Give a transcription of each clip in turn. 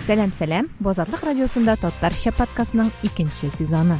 Сәлам, сәлам! Бу Азатлык радиосында татарча подкастның икенче сезоны.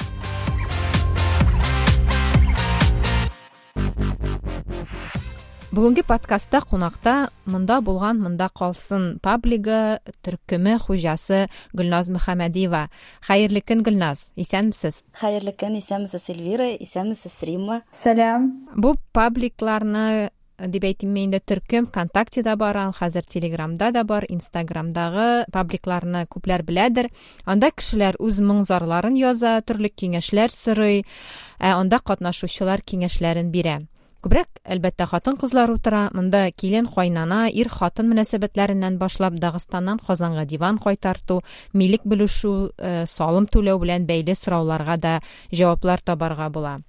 Бүгенге подкастта кунакта Монда булган, монда калсын паблигы төркеме хуҗасы Гөлназ Мөхәммәдиева. Хәерле көн, Гөлназ. Исәнмесез? Хәерле көн, исәнмесез, Эльвира, исәнмесез, Римма. Сәлам. Бу пабликларны дип әйтимме инде, төркем ВКонтактеда бар, ул хәзер Телеграмда да бар, Инстаграмдагы пабликларны күпләр беләдер. Анда кешеләр үз моң-зарларын яза, төрле киңәшләр сорый, ә анда катнашучылар киңәшләрен бирә. Күбрәк, әлбәттә, хатын-кызлар утыра. Монда килен, кайнана, ир-хатын мөнәсәбәтләреннән башлап, Дагыстаннан Казанга диван кайтарту, милек бүлешү, салым түләү белән бәйле сорауларга да җаваплар табарга була.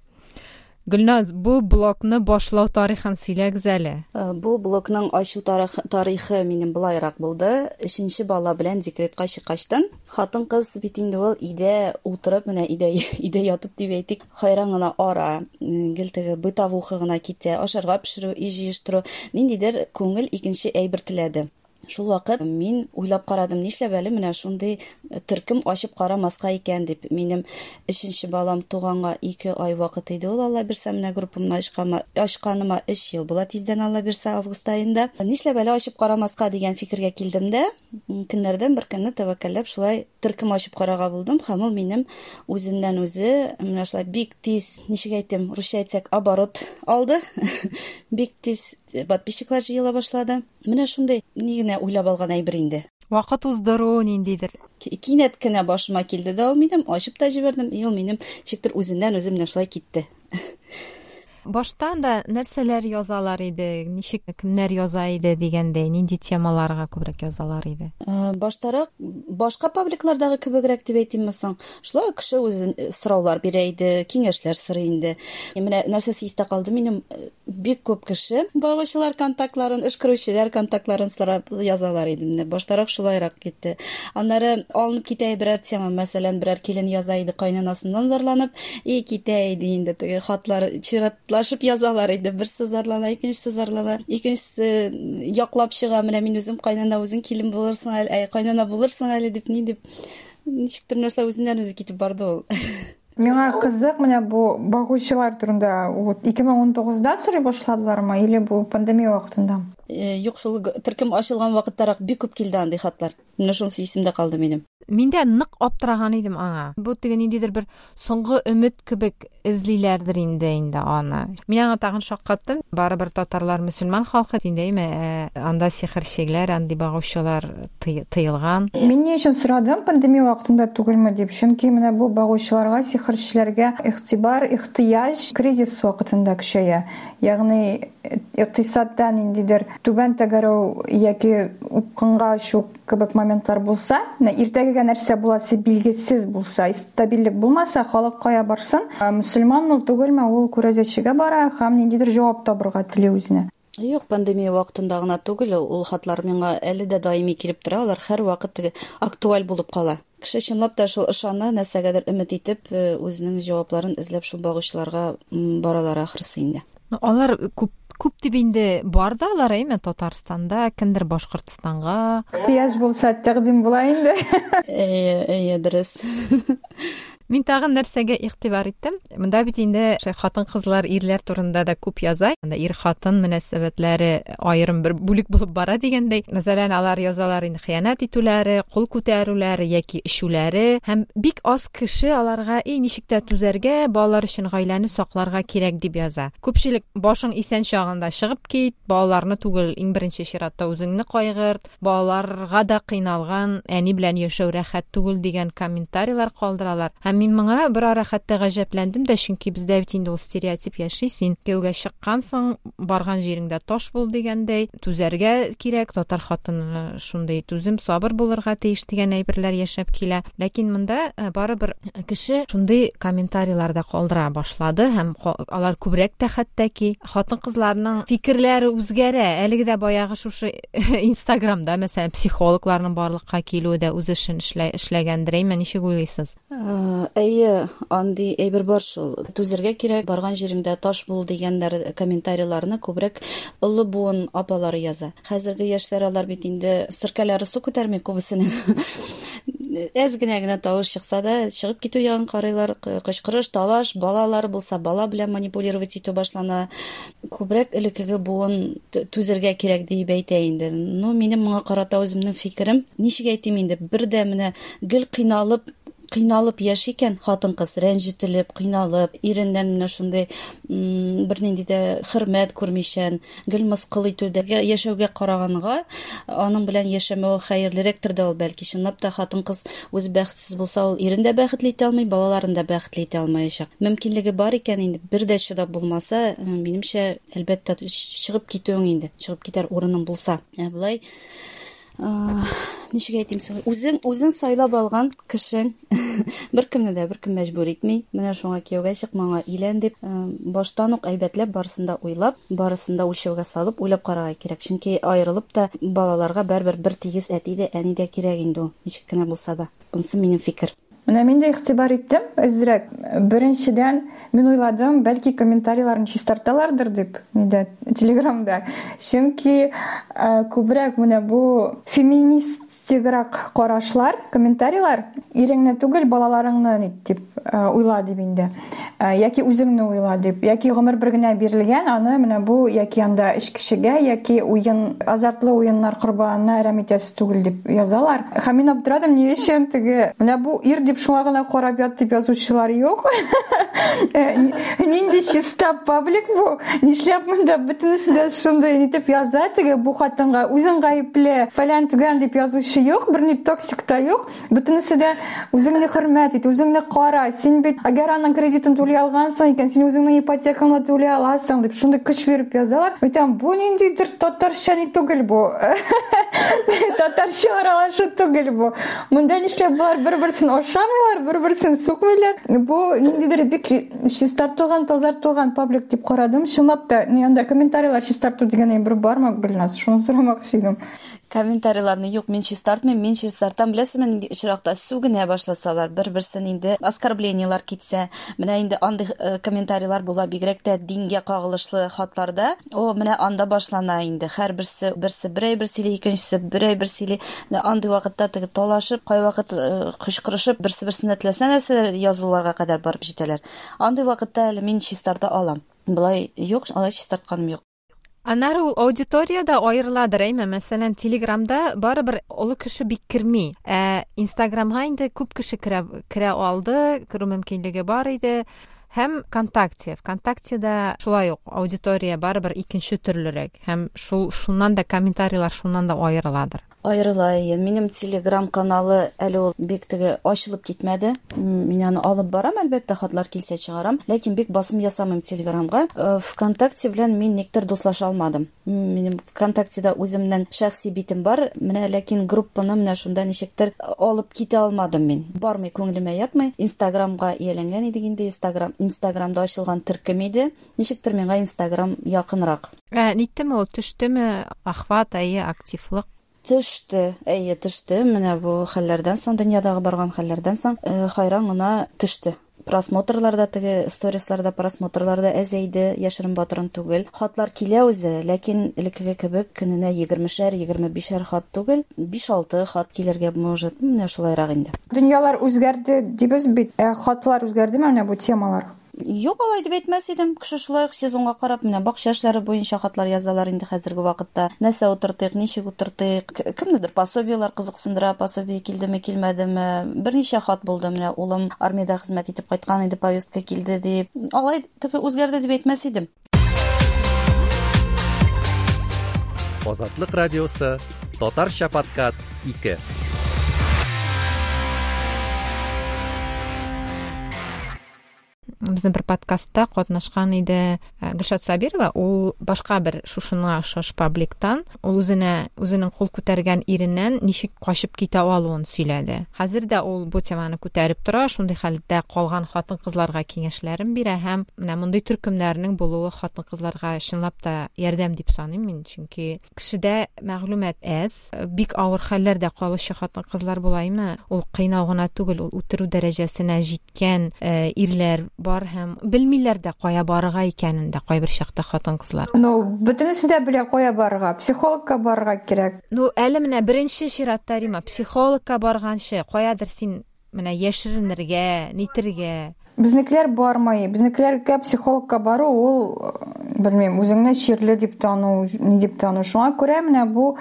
Гөлназ, бу блогны башлау тарихын сөйләгез әле. Бу блогның ачу тарихы минем болайрак булды. Өченче бала белән декретка чыккачтын, хатын-кыз бит инде ул өйдә утырып, менә өйдә, өйдә ятып дип әйтик, хайран гына ара, гел теге бытовуха гына китә, ашарга пешерү, өй җыештыру, ниндидер күңел икенче әйбер теләде. Шул вакыт мин уйлап карадым, нишләп әле менә шундый төркем ачып карамаска икән дип. Минем өченче балам туганга 2 ай вакыт иде ул, Алла бирсә, менә группамны ачканыма 3 ел була тиздән, Алла бирсә, август аенда. Нишләп әле ачып карамаска дигән фикергә килдем дә, көннәрдән бер көнне тәвәккәлләп шулай төркем ачып карарга булдым, һәм ул минем үзеннән үзе менә шулай бик тиз, ничек әйтим, русча әйтсәк, оборот алды. Бик тиз подписчиклар җыела башлады. Менә шундый ни генә уйлап алган әйбер инде. Вакыт уздыру ниндидер. Кинәт кенә башыма килде дә ул минем, ачып та җибәрдем, и ул минем ничектер үзеннән үзе менә шулай китте. Баштан да нәрсәләр язалар иде, ничек, кемнәр яза иде дигәндәй, нинди темаларга күбрәк язалар иде? Баштарак башка пабликлардагы кебегрәк дип әйтимме соң? Шулай ук кеше үзе сораулар бирә иде, киңәшләр сорый инде. Менә нәрсәсе истә калды минем, бик күп кеше багучылар контактларын, өшкерүчеләр контактларын сорап язалар иде. Менә баштарак шулайрак китте. Аннары алынып китә берәр тема, мәсәлән, берәр килен яза иде кайнанасыннан зарланып, и китә иде инде теге хатлар чиратлашып язалар иде. Берсе зарлана, икенчесе зарлана, икенчесе яклап чыга, менә мин үзем кайнана, үзең килен булырсың әле, әй, кайнана булырсың әле дип, ни дип. Ничектер менә шулай үзеннән үзе китеп барды ул. Миңа кызык, менә бу багучылар турында вот 2019-да сорый башладылармы или бу пандемия вакытында? Юк, шул төркем ачылган вакыттарак бик күп килде андый хатлар. Менә шунысы исемдә калды минем. Мин дә нык аптыраган идем аңа. Бу теге ниндидер бер соңгы өмет кебек эзлиләрдер инде аны. Мин аңа тагын шаккаттым. Барыбер татарлар мөселман халкы инде, әйме, анда сихерчеләр, андый багучылар тыелган. Мин ни өчен сорадым, пандемия вакытында түгелме дип? Чөнки менә бу багучыларга, сихерчеләргә игътибар, ихтыяҗ кризис вакытында көчәя. Ягъни икътисадта ниндидер түбән тәгәрәү яки упкынга очу кебек моментлар булса, менә иртәгегә нәрсә буласы билгесез булса, стабильлек булмаса, халык кая барсын? Мөселман ул түгелме, ул күрәзәчегә бара һәм ниндидер җавап табырга тели үзенә. Юк, пандемия вакытында гына түгел, ул хатлар миңа әле дә даими килеп тора, алар һәр вакыт теге актуаль булып кала. Кеше чынлап та шул ышана, нәрсәгәдер өмет итеп, үзенең җавапларын эзләп шул багучыларга баралар ахрысы инде. Ну, алар күп дип инде бар да алар, әйме, Татарстанда, кемдер Башкортстанга. Ихтыяҗ булса, тәкъдим була инде. Әйе, әйе, дөрес. Мин тагын нәрсәгә игътибар иттем? Монда бит инде хатын-кызлар ирләр турында да күп яза. Анда ир-хатын мөнәсәбәтләре аерым бер бүлек булып бара дигәндәй. Мәсәлән, алар язалар инде хыянәт итүләре, кул күтәрүләре яки эчүләре. Һәм бик аз кеше аларга, эй, ничек тә түзәргә, балалар өчен гаиләне сакларга кирәк дип яза. Күпчелек башың исән чагында чыгып кит, балаларны түгел, иң беренче чиратта үзеңне кайгырт, балаларга да кыйналган әни белән яшәү рәхәт түгел дигән комментарийлар калдыралар. Һәм мин моңа бер ара хәтта гаҗәпләндем дә, чөнки бездә бит инде ул стереотип яши, син кияүгә чыккансың, барган җиреңдә таш бул дигәндәй, түзәргә кирәк, татар хатыны шундый түзем, сабыр булырга тиеш дигән әйберләр яшәп килә. Ләкин монда барыбер кеше шундый комментарийлар да калдыра башлады һәм алар күбрәк тә хәтта ки хатын-кызларның фикерләре үзгәрә. Әлеге дә баягы шушы Инстаграмда, мәсәлән, психологларның барлыкка килүе дә үз эшен эшләгәндер, әйме, ничек уйлыйсыз? Әйе, андый әйбер бар шул. Түзәргә кирәк, барган җиреңдә таш бул дигәннәр комментарийларны күбрәк олы буын апалары яза. Хәзерге яшьләр алар бит инде серкәләре су күтәрми күбесенең. Әз генә генә тавыш чыкса да, чыгып китү ягын карыйлар, кычкырыш, талаш, балалары булса, бала белән манипулировать итү башлана. Күбрәк элеккеге буын түзәргә кирәк диеп әйтә инде. Ну, минем моңа карата үземнең фикерем, ничек әйтим инде, бер дә менә гел кыйналып кыйналып яши икән хатын-кыз, рәнҗетелеп, кыйналып, иреннән менә шундый бернинди дә хөрмәт күрмичән, гел мыскыл итүдә яшәүгә караганга, аның белән яшәмәве хәерлерәктер дә ул бәлки. Чынлап та хатын-кыз үзе бәхетсез булса, ул ирен дә бәхетле итә алмый, балаларын да бәхетле итә алмаячак. Мөмкинлеге бар икән инде, бер дә чыдап булмаса, минемчә, әлбәттә, чыгып китүең инде, чыгып китәр урының булса. Ә болай ничек әйтим соң, үзең үзең сайлап алган кешең, беркемне дә беркем мәҗбүр итми. Менә шуңа кияүгә чык, моңа өйлән дип, баштан ук әйбәтләп барысын да уйлап, барысын да үлчәүгә салып уйлап карарга кирәк. Чөнки аерылып та балаларга барыбер бер тигез әти дә, әни дә кирәк инде ул, ничек кенә булса да. Монысы минем фикер. Менә мин дә игътибар иттем әзрәк. Беренчедән, мин уйладым, бәлки комментарийларын чистарталардыр дип, нидә, Телеграмда. Чөнки күбрәк менә бу феминистиграк карашлар, комментарийлар, иреңне түгел, балаларыңны ни дип уйла дип инде. Яки үзеңне уйла дип, яки гомер бер генә бирелгән, аны менә бу яки анда эчкечегә, яки уен, азартлы уеннар корбанына әрәм итәсе түгел дип язалар. Һәм мин аптырадым, ни өчен теге менә бу ир дип шуңа гына карап ят дип язучылар юк. Нинди чиста паблик бу? Нишләп монда бөтенесе дә шундый итеп яза, теге бу хатынга үзең гаепле, фәлән төгән дип язучы юк, берни токсик та юк. Бөтенесе дә үзеңне хөрмәт ит, үзеңне кара. Син бит әгәр аның кредитын түли алгансың икән, син үзеңнең ипотекаңны түли аласың дип шундый көч биреп язалар. Әйтәм, бу ниндидер татарча ни түгел бу. Татарча аралашу түгел бу. Монда нишләп болар бер-берсен ашамыйлар, бер-берсен сукмыйлар. Бу ниндидер бик чистартылган, тазартылган паблик дип карадым. Чынлап та, ни анда комментарийлар чистарту дигән әйбер бармы, Гөлназ? Шуны сорамакчы идем. Комментарийларны юк, мин чистартмыйм, мин чистартам. Беләсезме, нинди очракта сүгенә башласалар, бер-берсен инде оскорблениелар китсә, менә инде андый комментарийлар була, бигрәк тә дингә кагылышлы хатларда. О, менә анда башлана инде. Һәрберсе берсе бер әйбер сөйли, икенчесе бер әйбер сөйли. Менә андый вакытта теге талашып, кайвакыт кычкырышып, берсе-берсенә теләсә нәрсәләр язуларга кадәр барып җитәләр. Андый вакытта әле мин чистарта алам. Болай юк, алай чистартканым юк. Аннары ул аудитория да аерыладыр, әйме? Мәсәлән, Телеграмда барыбер олы кеше бик керми. Ә Инстаграмга инде күп кеше керә, керә алды, керү мөмкинлеге бар иде. Һәм ВКонтакте. ВКонтактеда шулай ук аудитория барыбер икенче төрлерәк. Һәм шул шуннан да комментарийлар шуннан да аерыладыр. Аерыла, әйе. Минем Телеграм каналы әле ул бик теге ачылып китмәде. Мин аны алып барам, әлбәттә, хатлар килсә чыгарам, ләкин бик басым ясамыйм Телеграмга. ВКонтакте белән мин никтер дуслаша алмадым. Минем ВКонтактеда үземнең шәхси битем бар, менә ләкин группаны менә шунда ничектер алып китә алмадым мин. Бармый, күңелемә ятмый. Инстаграмга ияләнгән идек инде, Инстаграм, Инстаграмда ачылган төркем иде. Ничектер миңа Инстаграм якынрак. Ә ниттеме ул, төштеме охват, әйе, активлык? Төште, әйе, төште. Менә бу хәлләрдән соң, дөньядагы барган хәлләрдән соң, хайран гына төште. Просмотрлар да теге сторисларда просмотрлар да әзәйде, яшерен батырын түгел. Хатлар килә үзе, ләкин элеккеге кебек көненә егермешәр, егерме бишәр хат түгел, биш-алты хат килергә может, менә шулайрак инде. Дөньялар үзгәрде дибез бит, ә хатлар үзгәрдеме менә бу темалар? Юк, алай дип әйтмәс идем. Кеше шулай ук сезонга карап, менә бакча эшләре буенча хатлар язалар инде хәзерге вакытта. Нәрсә утыртыйк, ничек утыртыйк, кемнедер пособиеләр кызыксындыра, пособие килдеме, килмәдеме. Берничә хат булды, менә улым армиядә хезмәт итеп кайткан инде, повестка килде дип. Алай теге үзгәрде дип әйтмәс идем. Азатлык радиосы, татарча подкаст 2. Безнең бер подкастта катнашкан иде Гөлшат Сабирова. Ул башка бер шушына охшаш пабликтан. Ул үзенә үзенең кул күтәргән иреннән ничек качып китә алуын сөйләде. Хәзер дә ул бу теманы күтәреп тора, шундый хәлдә калган хатын-кызларга киңәшләрен бирә һәм менә мондый төркемнәрнең булуы хатын-кызларга чынлап та ярдәм дип саныйм мин, чөнки кешедә мәгълүмат әз, бик авыр хәлләрдә калучы хатын-кызлар булаймы? Ул кыйнау гына түгел, ул үтерү дәрәҗәсенә җиткән ирләр бар һәм белмиләр дә кая барырга икәнен дә кайбер чакта хатын-кызлар. Ну, бөтенесе дә белә кая барырга. Психологка барырга кирәк. Ну, әле менә беренче чиратта, Рима, психологка барганчы, каядыр син менә яшеренергә, нитергә. Безнекеләр бармый. Безнекеләргә психологка бару ул, белмим, үзеңне чирле дип тану, ни дип тану. Шуңа күрә менә бу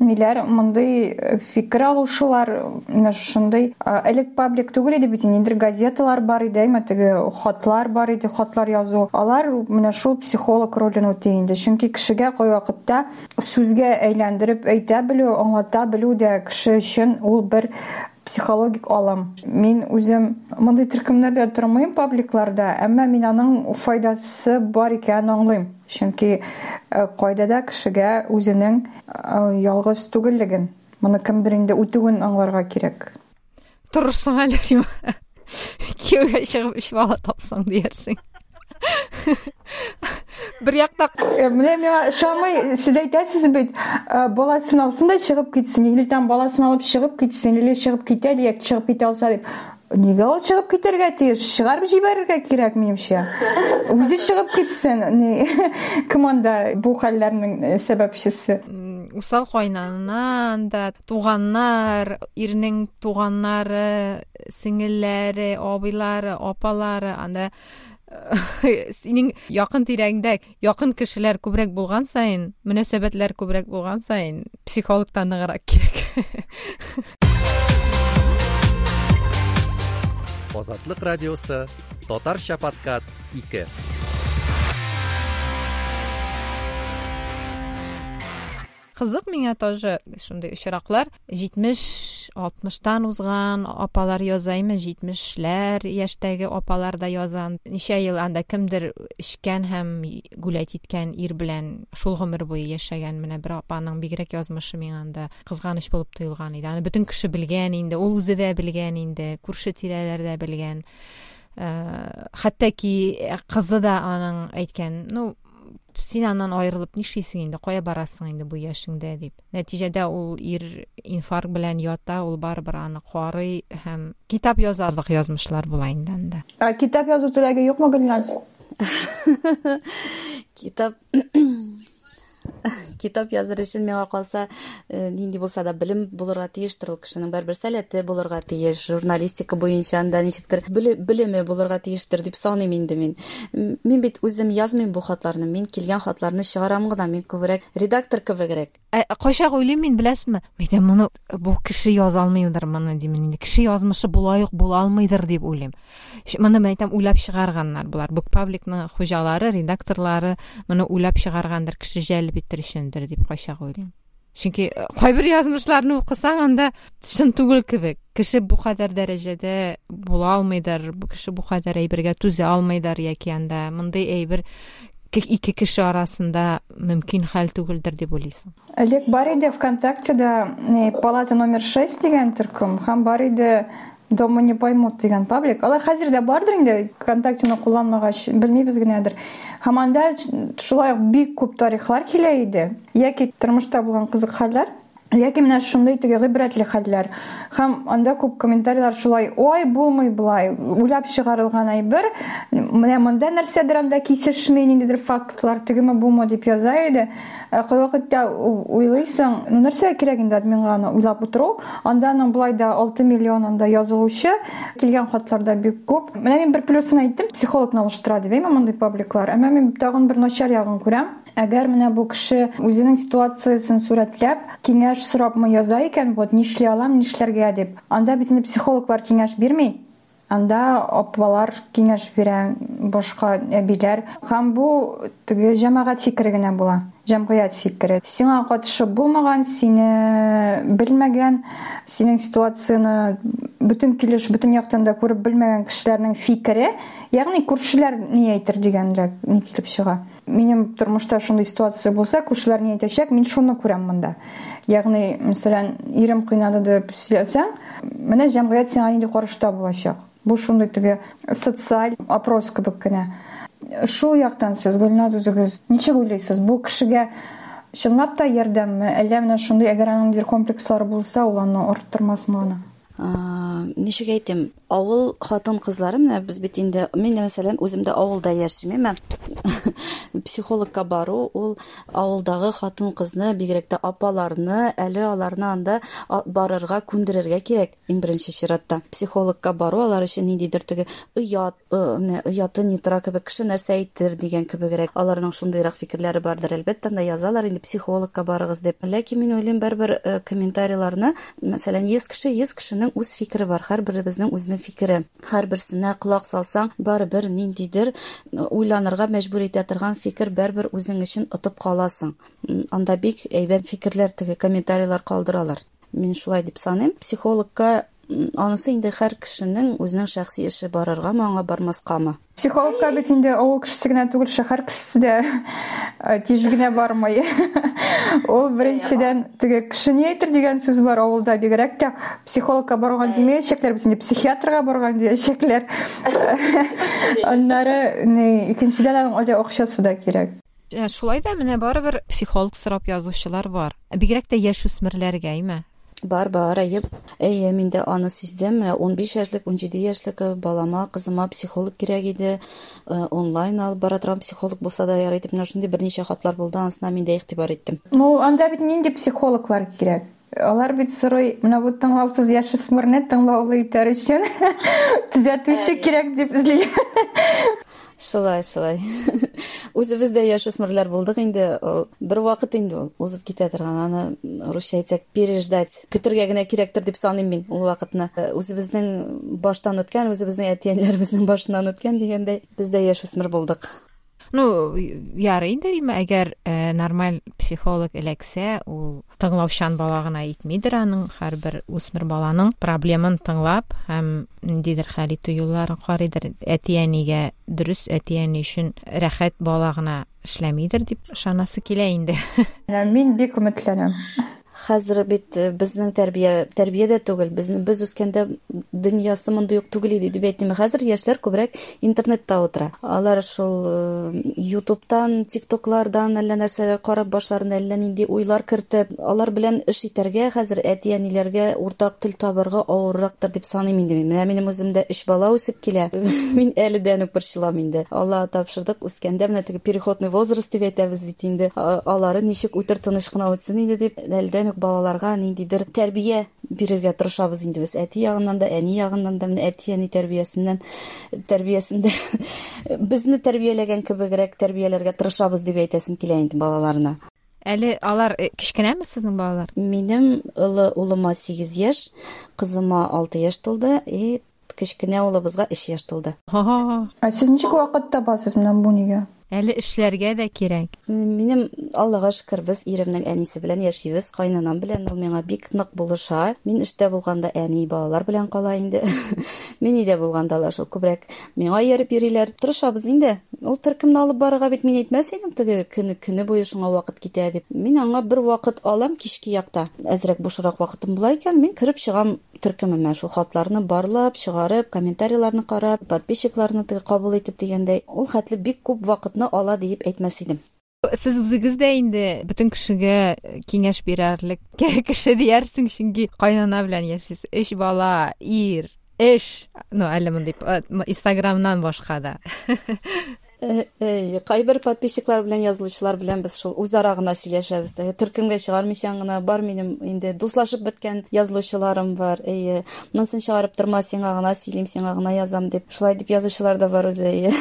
ниләр, мондый фикер алышулар, менә шушындый элек паблик түгел иде бит, ниндидер газеталар бар иде, әйме теге хатлар бар иде, хатлар язу. Алар менә шул психолог ролен үти инде. Чөнки кешегә кайвакытта сүзгә әйләндереп әйтә белү, аңлата белү дә кеше өчен ул бер психологик алым. Мин үзем мондый төркемнәрдә тормыйм, пабликларда, әмма мин аның файдасы бар икәнен аңлыйм. Чөнки кайда да кешегә үзенең ялгыз түгеллеген, моны кемдер инде үтүен аңларга кирәк. Торырсың әле, Рима. Кияүгә чыгып өч бала тапсаң диярсең. Бер якта Менә миңа ошамый, сез әйтәсез бит, баласын алсын да чыгып китсен, или там баласын алып чыгып китсен, или чыгып китә, или чыгып китә алса дип. Нигә ул чыгып китәргә тиеш? Чыгарып җибәрергә кирәк, минемчә. Үзе чыгып китсен. Кем анда бу хәлләрнең сәбәпчесе? Усал кайнаннан да, туганнар, ирнең туганнары, сеңелләре, абыйлары, апалары, анда синең якын тирәңдә якын кешеләр күбрәк булган саен, мөнәсәбәтләр күбрәк булган саен, психологтан ныграк кирәк. Азатлык радиосы, Татарча подкаст 2. Кызык миңа тоже шундый очраклар. 70-60тан узган апалар язаймы, 70ләр яшьтәге апалар да яза. Ничә ел анда кемдер эчкән һәм гулять иткән ир белән шул гомер буе яшәгән. Менә бер апаның бигрәк язмышы миңа анда кызганыч булып тоелган иде. Аны бөтен кеше белгән инде, ул үзе дә белгән инде, күрше тирәләр дә белгән. Хәтта ки кызы да аның әйткән, ну, син аннан аерылып нишлисең инде, кая барасың инде бу яшеңдә дип. Нәтиҗәдә ул ир инфаркт белән ята, ул барыбер аны карый һәм китап язарлык язмышлар була инде анда. Ә китап язу теләге юкмы, Гөлназ? Китап языр өчен миңа калса, нинди булса да белем булырга тиештер ул кешенең, барыбер сәләте булырга тиеш, журналистика буенча анда ничектер белеме булырга тиештер дип саныйм инде мин. Мин бит үзем язмыйм бу хатларны, мин килгән хатларны чыгарам гына, мин күбрәк редактор кебегрәк. Кайчак уйлыйм мин, беләсезме? Әйтәм, моны бу кеше яза алмыйдыр моны дим инде. Кеше язмышы болай ук була алмыйдыр дип уйлыйм. Моны мен әйтәм, уйлап чыгарганнар болар. Бу пабликның хуҗалары, редакторлары моны уйлап чыгаргандыр, кеше җәлеп итер өчендер дип кайчак уйлыйм. Чөнки кайбер язмышларны укысаң, анда чын түгел кебек. Кеше бу кадәр дәрәҗәдә була алмыйдыр, бу кеше бу кадәр әйбергә түзә алмыйдыр, яки анда мондый әйбер ике кеше арасында мөмкин хәл түгелдер дип уйлыйсың. Элек бар иде ВКонтактеда палата номер 6 дигән төркем, һәм бар иде Дома не поймут дигән паблик. Алар хәзер дә бардыр инде, ВКонтактены кулланмагач, белмибез генәдер. Һәм анда шулай ук бик күп тарихлар килә иде, яки тормышта булган кызык хәлләр, яки менә шундый теге гыйбрәтле хәлләр. Һәм анда күп комментарийлар шулай, ой, булмый болай, уйлап чыгарылган әйбер, менә монда нәрсәдер анда кисешми, ниндидер фактлар, тегеме бумы дип яза иде. Кайвакытта уйлыйсың, ну нәрсәгә кирәк инде админга аны уйлап утыру? Анда аның болай да 6 миллион анда язылучы, килгән хатлар да бик күп. Менә мин бер плюсын әйттем, психологны алыштыра дип, әйме мондый пабликлар. Әмма мин тагын бер начар ягын күрәм. Әгәр менә бу кеше үзенең ситуациясен сурәтләп, киңәш сорапмы яза икән, вот нишли алам, нишләргә дип. Анда бит инде психологлар киңәш бирми. Анда апалар киңәш бирә, башка әбиләр. Һәм бу теге җәмәгать фикере генә була. Җәмгыять фикере. Сиңа катышы булмаган, сине белмәгән, синең ситуацияне бөтен килеш, бөтен яктан да күреп белмәгән кешеләрнең фикере, ягъни күршеләр ни әйтер дигәнрәк ни килеп чыга. Минем тормышта шундый ситуация булса, күршеләр ни әйтәчәк, мин шуны күрәм монда. Ягъни, мәсәлән, ирем кыйнады дип сөйләсәң, менә җәмгыять сиңа нинди карашта булачак. Бу шундый теге социаль опрос кебек кенә. Шул яктан сез, Гөлназ, үзегез ничек уйлыйсыз? Бу кешегә чынлап та ярдәмме, әллә менә шундый, әгәр аның ниндидер комплекслары булса, ул аны арттырмасмы аны? Ничек әйтим, авыл хатын-кызлары, менә без бит инде, мин, мәсәлән, үзем дә авылда яшим, әмма психологка бару ул авылдагы хатын-кызны, бигрәк тә апаларны, әле аларны анда барырга күндерергә кирәк. Иң беренче чиратта психологка бару алар өчен ниндидер теге оят, менә ояты ни тора кебек, кеше нәрсә әйтер дигән кебегрәк. Аларның шундыйрак фикерләре бардыр, әлбәттә, анда язалар инде психологка барыгыз дип. Ләкин мин уйлыйм, барыбер комментарийларны, мәсәлән, 100 кеше, 100 кешенең үз фикере бар, һәрберебезнең үзенең фикере. Һәрберсенә колак салсаң, барыбер ниндидер уйланырга мәҗбүр итә торган фикер барыбер үзең өчен отып каласың. Анда бик әйбәт фикерләр, теге комментарийлар калдыралар. Мин шулай дип саныйм. Психологка анысы инде һәр кешенең үзенең шәхси эше, барыргамы аңа, бармаскамы. Психологка бит инде авыл кешесе генә түгел, шәһәр кешесе дә тиз генә бармый. Ул беренчедән теге кеше ни әйтер дигән сүз бар авылда, бигрәк тә психологка барган димәячәкләр, бит инде психиатрга барган диячәкләр. Аннары икенчедән аның әле акчасы да кирәк. Шулай да менә барыбер психолог сорап язучылар бар. Бигрәк тә яшүсмерләргә, әйме? Бар, бар, әйе. Әйе, мин дә аны сиздем. Менә 15 яшьлек, 17 яшьлек балама, кызыма психолог кирәк иде. Онлайн алып бара торган психолог булса да ярый дип, менә шундый берничә хатлар булды, анысына мин дә игътибар иттем. Ну, анда бит нинди психологлар кирәк? Алар бит сорый, менә бу тыңлаусыз яшүсмерне тыңлаулы итәр өчен төзәтүче кирәк дип эзли. Шулай, шулай. Үзебез дә яшүсмерләр булдык инде. Ул бер вакыт инде ул узып китә торган. Аны русча әйтсәк, переждать. Көтергә генә кирәктер дип саныйм мин ул вакытны. Үзебезнең баштан үткән, үзебезнең әти-әниләребезнең башыннан үткән дигәндәй, без дә яшүсмер булдык. Ну, ярый инде, Рима, әгәр нормаль психолог эләксә, ул тыңлаучан бала гына итмидер аның, һәрбер үсмер баланың проблемын тыңлап һәм ниндидер хәл итү юлларын карыйдыр. Әти-әнигә дөрес, әти-әни өчен рәхәт бала гына эшләмидер дип ышанасы килә инде. Мин бик өметләнәм. Хәзер бит безнең тәрбия, тәрбия дә түгел, безне, без үскәндә дөньясы мондый ук түгел иде дип әйтмим. Хәзер яшьләр күбрәк интернетта утыра. Алар шул Ютубтан, ТикТоклардан әллә нәрсәләр карап, башларына әллә нинди уйлар кертеп, алар белән эш итәргә хәзер әти-әниләргә уртак тел табарга авыррактыр дип саныйм инде мин. Менә минем үземдә өч бала үсеп килә. Мин әледән үк борчылам инде. Аллага тапшырдык, үскәндә менә теге переходный возраст дип әйтәбез бит инде. Алары ничек үтер, тыныч кына үтсен инде дип, әледән үк балаларга ниндидер тәрбия бирергә тырышабыз инде без. Әти ягыннан да, әни ягыннан да, менә әти-әни тәрбиясеннән, тәрбиясендә безне тәрбияләгән кебегрәк тәрбияләргә тырышабыз дип әйтәсем килә инде балаларны. Әле алар кечкенәме сезнең балалар? Минем олы улыма 8 яшь, кызыма 6 яшь тулды, и кечкенә улыбызга 3 яшь тулды. Ә сез ничек вакыт табасыз менә бу нигә? Әле эшләргә дә кирәк. Минем, Аллага шөкер, без иремнең әнисе белән яшибез, кайнанам белән, ул миңа бик нык булыша. Мин эштә булганда әни балалар белән кала инде. Мин өйдә булганда алар шул күбрәк миңа ияреп йөриләр. Тырышабыз инде. Ул төркемне алып барырга бит мин әйтмәс идем, теге көне, көне буе шуңа вакыт китә дип. Мин аңа бер вакыт алам кичке якта. Әзрәк бушрак вакытым була икән, мин кереп чыгам төркемемә, шул хатларны барлап, чыгарып, комментарийларны карап, подписчикларны теге кабул итеп дигәндәй, ул хәтле бик күп вакытны ала диеп әйтмәс идем. Сез үзегез дә инде бөтен кешегә киңәш бирәрлек кеше диярсең, чөнки кайнана белән яшисез. Өч бала, ир, эш, ну, әле мондый Инстаграмнан башка да. Әй, кайбер подписчиклар белән, язылучылар белән без шул үзара гына сөйләшәбез. Теге төркемгә чыгармыйча гына бар минем инде дуслашып беткән язылучыларым бар. Әйе, монысын чыгарып торма, сиңа гына сөйлим, сиңа гына язам дип. Шулай дип язучылар да бар үзе, әйе.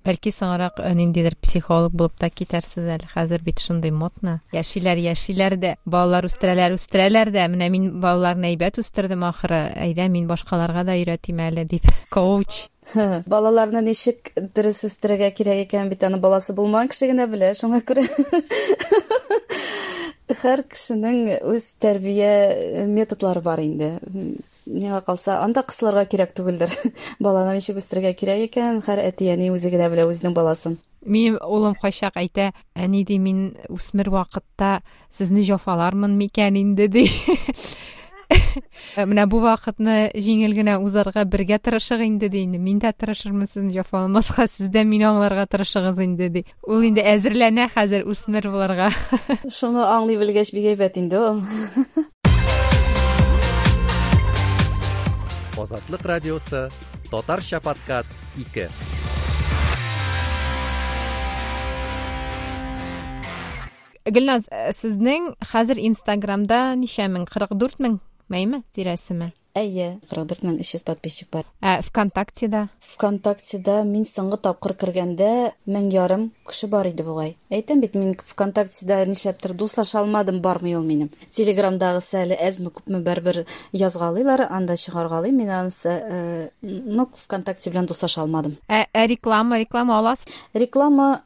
Бәлки соңрак ниндидер психолог булып та китәрсез әле. Хәзер бит шундый модно. Яшиләр, яшиләр дә, балалар үстерәләр, үстерәләр дә. Менә мин балаларны әйбәт үстердем ахыры. Әйдә, мин башкаларга да өйрәтим әле дип. Коуч. Балаларны ничек дөрес үстерергә кирәк икән бит аны баласы булмаган кеше генә белә, шуңа күрә. Һәр кешенең үз тәрбия методлары бар инде. Миңа калса, анда кысылырга кирәк түгелдер. Баланы ничек үстерергә кирәк икән, һәр әти-әни үзе генә белә үзенең баласын. Минем улым кайчак әйтә, әни ди, мин үсмер вакытта сезне җафалармын микән инде ди. Менә бу вакытны җиңел генә узарга бергә тырышык инде ди инде. Мин дә тырышырмын сезне җафаламаска, сез дә мине аңларга тырышыгыз инде ди. Ул инде әзерләнә хәзер үсмер булырга. Шуны аңлый белгәч бик әйбәт инде ул. Азатлык радиосы, татарча подкаст 2. Гөлназ, сезнең хәзер Инстаграмда ничә мең? 44 мең, мәйме, тирәсеме? Әйе, 44 мең 300 подписчик бар. Ә ВКонтактеда? ВКонтактеда мин соңгы тапкыр кергәндә 1500 кеше бар иде бугай. Әйтәм бит, мин ВКонтактеда нишләптер дуслаша алмадым, бармый ул минем. Телеграмдагысы әле әзме күпме бер-бер язгалыйлар, анда чыгаргалыйм мин анысы, но ВКонтакте белән дуслаша алмадым. Ә реклама, реклама аласыз? Реклама,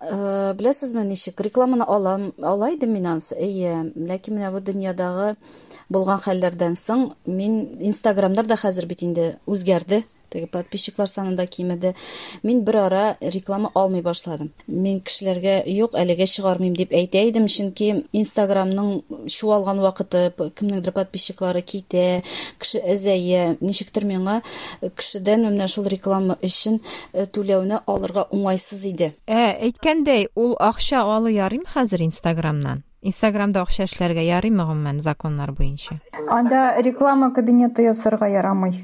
беләсезме ничек? Рекламаны алам, ала идем мин анысы, әйе. Ләкин менә бу дөньядагы булган хәлләрдән соң мин Инстаграмнар да хәзер бит инде үзгәрде. Теге подписчиклар саны да кимеде. Мин бер ара реклама алмый башладым. Мин кешеләргә юк, әлегә чыгармыйм дип әйтә идем, чөнки Инстаграмның чуалган вакыты, кемнеңдер подписчиклары китә, кеше әзәя. Ничектер миңа кешедән менә шул реклама өчен түләүне алырга уңайсыз иде. Әйткәндәй, ул акча алу ярыймы хәзер Инстаграмнан? Инстаграмда акча эшләргә ярыймы гомумән законнар буенча? Анда реклама кабинеты ясарга ярамый.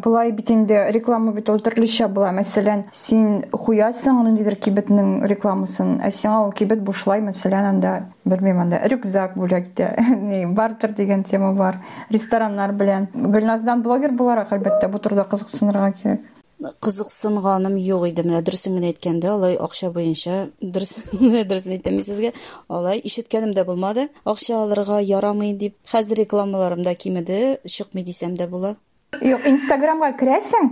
Болай бит инде реклама бит ул төрлечә була. Мәсәлән, син куясың ниндидер кибетнең рекламасын, ә сиңа ул кибет бушлай, мәсәлән, анда, белмим, анда рюкзак бүләк итә. Ни, бартер дигән тема бар. Рестораннар белән. Гөлназдан блогер буларак, әлбәттә, бу турыда кызыксынырга кирәк. Кызыксынганым юк иде. Менә дөресен генә әйткәндә, алай акча буенча, дөресен әйтәм мин сезгә, алай ишеткәнем дә булмады. Акча алырга ярамый дип. Хәзер рекламаларым да кимеде, чыкмый дисәм дә була. Юк, Инстаграмга керәсең,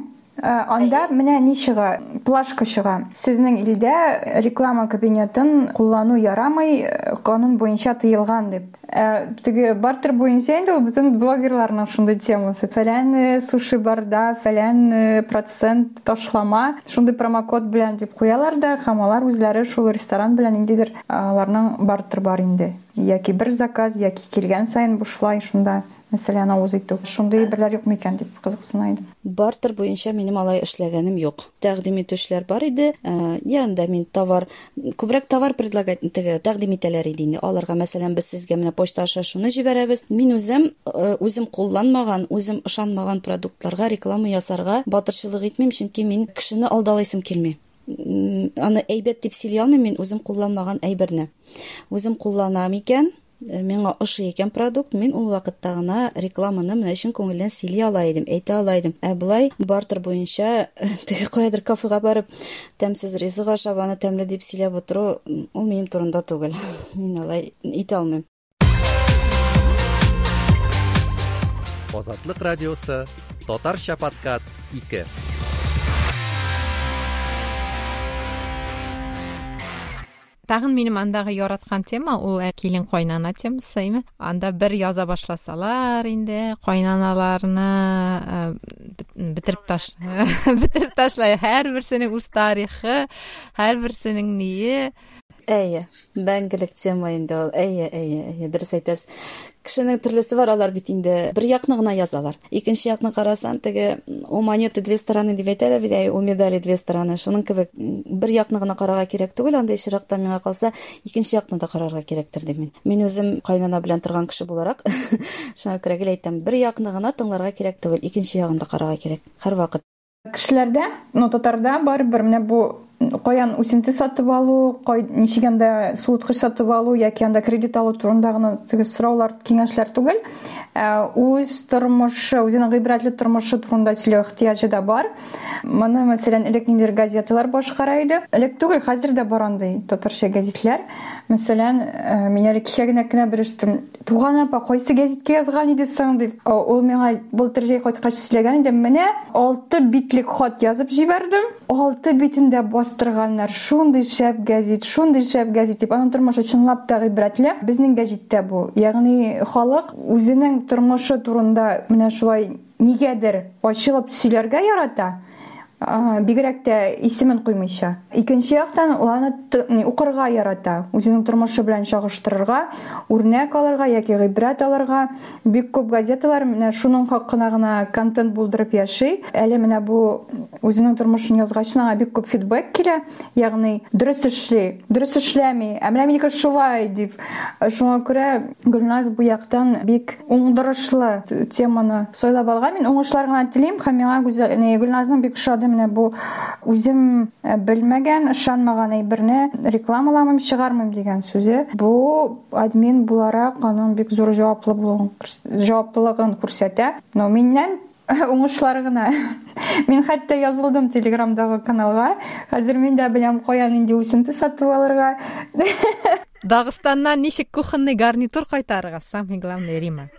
анда менә ни чыга, плашка чыга. Сезнең илдә реклама кабинетын куллану ярамый, канун буенча тыелган дип. Теге бартер буенча инде ул бөтен блогерларның шундый темасы. Фәлән суши барда, фәлән процент ташлама, шундый промокод белән дип куялар да, һәм алар үзләре шул ресторан белән ниндидер аларның бартер бар инде. Яки бер заказ, яки килгән саен бушлай шунда. Мәсәлән, авыз итү. Шундый берләр юк микән дип кызыксына идем. Бартер буенча минем алай эшләгәнем юк. Тәкъдим итүчеләр бар иде. Янда мин товар, күбрәк товар предлагать, теге, тәкъдим итәләр иде инде. Аларга, мәсәлән, без сезгә менә почта аша шуны җибәрәбез. Мин үзем кулланмаган, үзем ышанмаган продуктларга реклама ясарга батырчылык итмим, чөнки мин кешене алдалыйсым килми. Аны әйбәт дип сөйли алмыйм мин үзем кулланмаган әйберне. Үзем кулланам икән, миңа ошый икән продукт, мин ул вакытта гына рекламаны менә чын күңелдән сөйли ала идем, әйтә ала идем. Ә болай бартер буенча теге каядыр кафега барып тәмсез ризык ашап, аны тәмле дип сөйләп утыру, ул минем турында түгел. Мин алай итә алмыйм. Азатлык радиосы, татарча подкаст 2. Тагын минем андагы яраткан тема ул килен кайнана темасы, әйме? Анда бер яза башласалар инде кайнаналарны бетереп бетереп ташлай. Һәрберсенең үз тарихы, һәрберсенең ние. Әйе, мәңгелек тема инде ул. Әйе, әйе, әйе, дөрес әйтәсез. Кешенең төрлесе бар, алар бит инде бер якны гына язалар. Икенче якны карасан, теге у монеты две стороны дип әйтәләр бит, әй, у медали две стороны. Шуның кебек бер якны гына карарга кирәк түгел, андый очракта миңа калса, икенче якны да карарга кирәктер дим мин. Мин үзем кайнана белән торган кеше буларак, шуңа күрә гел әйтәм, бер якны гына тыңларга кирәк түгел, икенче ягын да карарга кирәк һәрвакыт. Кешеләрдә, ну, татарда барыбер менә бу каян үсенте сатып алу, ничек анда суыткыч сатып алу яки анда кредит алу турында гына теге сораулар, киңәшләр түгел. Үз тормышы, үзенең гыйбрәтле тормышы турында сөйләү ихтыяҗы да бар. Моны, мәсәлән, элек ниндидер газеталар башкара иде. Элек түгел, хәзер дә бар андый татарча гәзитләр. Мәсәлән, мин әле кичә генә кенә белештем. Туган апа, кайсы гәзиткә язган иде соң дип. Ул миңа былтыр җәй кайткач сөйләгән иде. Менә 6 битлек хат язып җибәрдем. 6 битен дә бастырганнар. Шундый шәп гәзит, шундый шәп гәзит дип. Аның тормышы чынлап та гыйбрәтле. Безнең гәзиттә бу. Ягъни халык үзенең тормышы турында менә шулай нигәдер ачылып сөйләргә ярата. Бигрәк тә исемен куймыйча. Икенче яктан, ул аны укырга ярата, үзенең тормышы белән чагыштырырга, үрнәк алырга яки гыйбрәт алырга. Бик күп газеталар менә шуның хакына гына контент булдырып яши. Әле менә бу үзенең тормышын язгач, аңа бик күп фидбэк килә, ягъни дөрес эшли, дөрес эшләми, ә менә минеке шулай дип. Шуңа күрә Гөлназ бу яктан бик уңдырышлы теманы сайлап алган. Мин уңышлар гына телим һәм миңа Гөлназның бик ошады менә бу үзем белмәгән, ышанмаган әйберне рекламаламыйм, чыгармыйм дигән сүзе. Бу админ буларак аның бик зур җаваплылыгын күрсәтә. Но миннән уңышлар гына. Мин хәтта язылдым Телеграмдагы каналга. Хәзер мин дә беләм, кая нинди үсенте сатып алырга. Дагыстаннан ничек кухонный гарнитур кайтарырга, самый главный, Рима.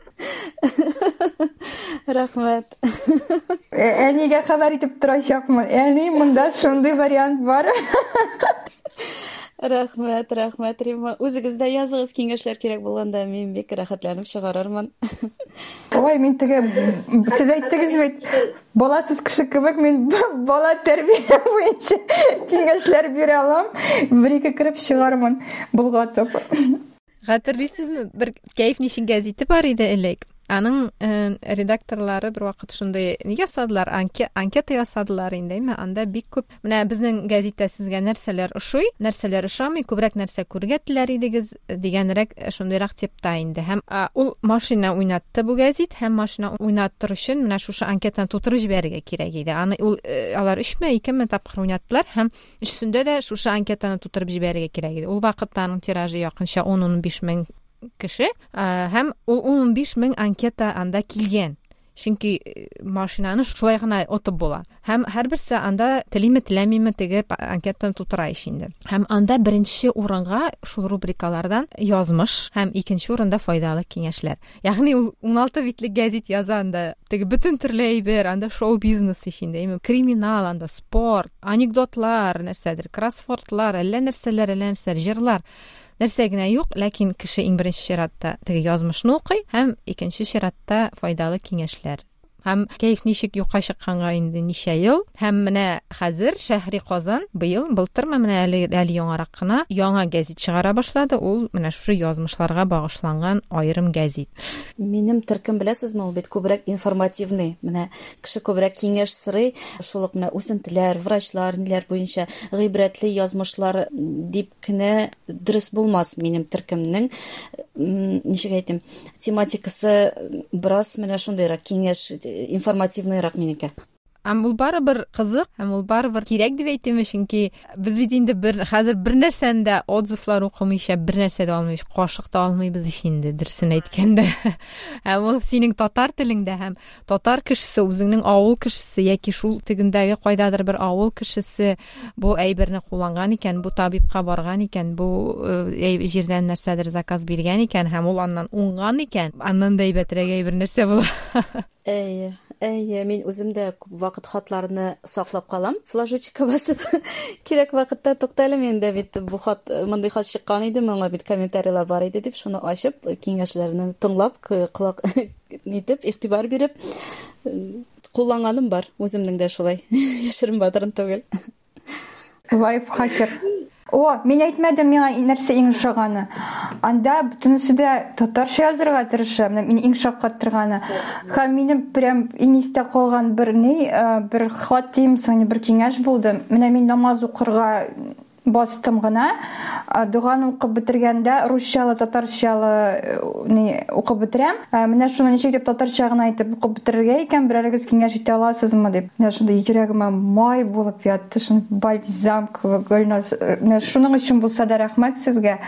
Рәхмәт. Әнигә хәбәр итеп торачакмын. Әни, монда шундый вариант бар. Рәхмәт, рәхмәт, Рима. Үзегез дә языгыз, киңәшләр кирәк булганда, мин бик рәхәтләнеп чыгарырмын. Ой, мин теге, сез әйттегез бит, баласыз кеше кебек мин бала тәрбия буенча киңәшләр бирә алам. Бер-ике кереп чыгармын, болгатып. Хәтерлисезме, бер Кәеф ничек гәзите бар иде элек. Аның редакторлары бер вакыт шундый ни ясадылар, анкета ясадылар инде, әйме? Анда бик күп, менә безнең гәзиттә сезгә нәрсәләр ошый, нәрсәләр ошамый, күбрәк нәрсә күрергә теләр идегез дигәнрәк, шундыйрак типта инде. Һәм ул машина уйнатты бу гәзит, һәм машина уйнаттыр өчен менә шушы анкетаны тутырып җибәрергә кирәк иде. Аны ул алар өчме, икеме тапкыр уйнаттылар һәм өчесендә дә шушы анкетаны тутырып җибәрергә кирәк иде. Ул вакытта аның тиражы якынча ун-унбиш мең кеше, һәм ул ун-унбиш мең анкета анда килгән. Чөнки машинаны шулай гына отып була. Һәм һәрберсе анда телиме, теләмиме теге анкетаны тутыра ич инде. Һәм анда беренче урынга шул рубрикалардан язмыш һәм икенче урында файдалы киңәшләр. Ягъни ул 16 битлек гәзит яза анда. Теге бөтен төрле әйбер, анда шоу-бизнес ич инде, әйме, криминал, анда спорт, анекдотлар, нәрсәдер, кроссвордлар, әллә нәрсәләр, әллә нәрсәләр, җырлар. Нәрсә генә юк, ләкин кеше иң беренче чиратта теге язмышны укый һәм икенче чиратта файдалы киңәшләр. Һәм Кәеф ничек юкка чыкканга инде ничә ел. Һәм менә хәзер Шәһри Казан быел, былтырмы, менә әле яңарак кына яңа гәзит чыгара башлады. Ул менә шушы язмышларга багышланган аерым гәзит. Минем төркем, беләсезме, ул бит күбрәк информативный. Менә кеше күбрәк киңәш сорый, шул ук менә үсентеләр, врачлар, ниләр буенча гыйбрәтле язмышлар дип кенә дөрес булмас минем төркемнең, ничек әйтим, тематикасы бераз менә шундыйрак, киңәш, информативныйрак минеке. Һәм ул барыбер кызык, һәм ул барыбер кирәк дип әйтим, чөнки без бит инде хәзер бер нәрсәне дә отзывлар укымыйча, бер нәрсә дә алмыйбыз, кашык та алмыйбыз ич инде, дөресен әйткәндә. Һәм ул синең татар телеңдә һәм татар кешесе, үзеңнең авыл кешесе яки шул тегендәге кайдадыр бер авыл кешесе бу әйберне кулланган икән, бу табибка барган икән, бу җирдән нәрсәдер заказ биргән икән һәм ул аннан уңган икән, аннан да әйбәтрәк әйбер нәрсә була. Әйе, әйе, мин үзем дә күп вакыт хатларны саклап калам, флажочка басып. Кирәк вакытта туктале, мин дә бит бу хат, мондый хат чыккан иде, моңа бит комментарийлар бар иде дип, шуны ачып, киңәшләрне тыңлап, колак нитеп, игътибар биреп, кулланганым бар. Үземнең дә шулай. Яшерен батырын түгел. Лайфхакер. О, мин әйтмәдем миңа нәрсә иң ошаганы. Анда бөтенесе дә татарча язырга тырыша. Менә мине иң шаккаттырганы. Һәм минем прям иң истә калган бер ни, бер хат дим, соң бер киңәш булды. Менә мин намаз укырга Бастым гына. Доганы укып бетергәндә русчалы, татарчалы ни укып бетерәм. Менә шуны ничек дип татарча гына итеп укып бетерергә икән, берәрегез киңәш итә аласызмы дип. Менә шундый йөрәгемә май булып ятты, шундый бальзам кебек, Гөлназ. Менә шуның өчен булса да рәхмәт сезгә.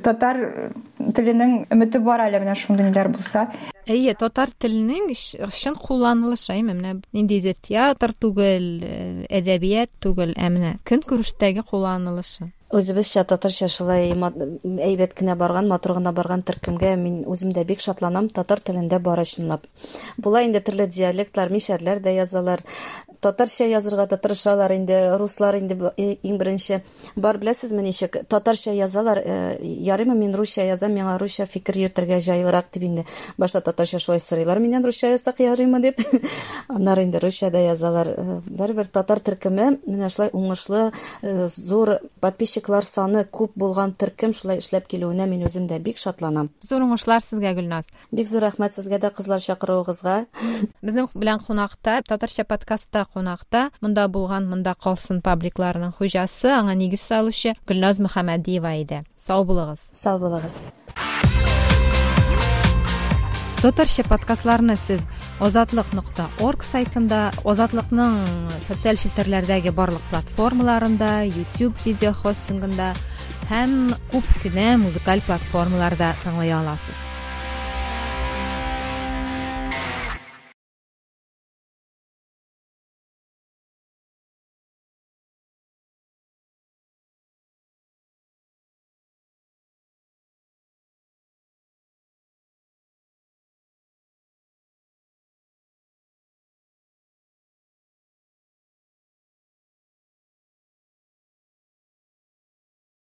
Татар теленең өмете бар әле менә шундый ниләр булса. Әйе, татар теленең чын кулланылышы, әйме, менә ниндидер театр түгел, әдәбият түгел, ә менә көнкүрештәге кулланылышы. Үзебезчә татарча шулай әйбәт кенә барган, матур гына барган төркемгә мин үзем дә бик шатланам, татар телендә бары чынлап. Була инде төрле диалектлар, мишәрләр дә язалар. Татарча язырга да тырышалар инде, руслар инде иң беренче. Бар, беләсезме ничек, татарча язалар, ярыймы мин русча язам, миңа русча фикер йөртергә җайлырак дип инде. Башта татарча шулай сорыйлар миннән, русча язсак ярыймы дип. Аннары инде русча да язалар. Барыбер татар төркеме менә шулай уңышлы, зур подписчиклар саны күп булган төркем шулай эшләп килүенә мин үзем дә бик шатланам. Зур уңышлар сезгә, Гөлназ. Бик зур рәхмәт сезгә дә, кызлар, чакыруыгызга. Безнең белән кунакта, Татарча подкастта кунакта, монда булган, монда калсын пабликларының хуҗасы, аңа нигез салучы Гөлназ Мөхәммәдиева иде. Сау булыгыз. Сау булыгыз. Татарча подкастларны сез озатлык.орг сайтында, Озатлыкның социаль челтәрләрдәге барлык платформаларында, YouTube видео хостингында һәм күп кенә музыкаль платформаларда тыңлый аласыз.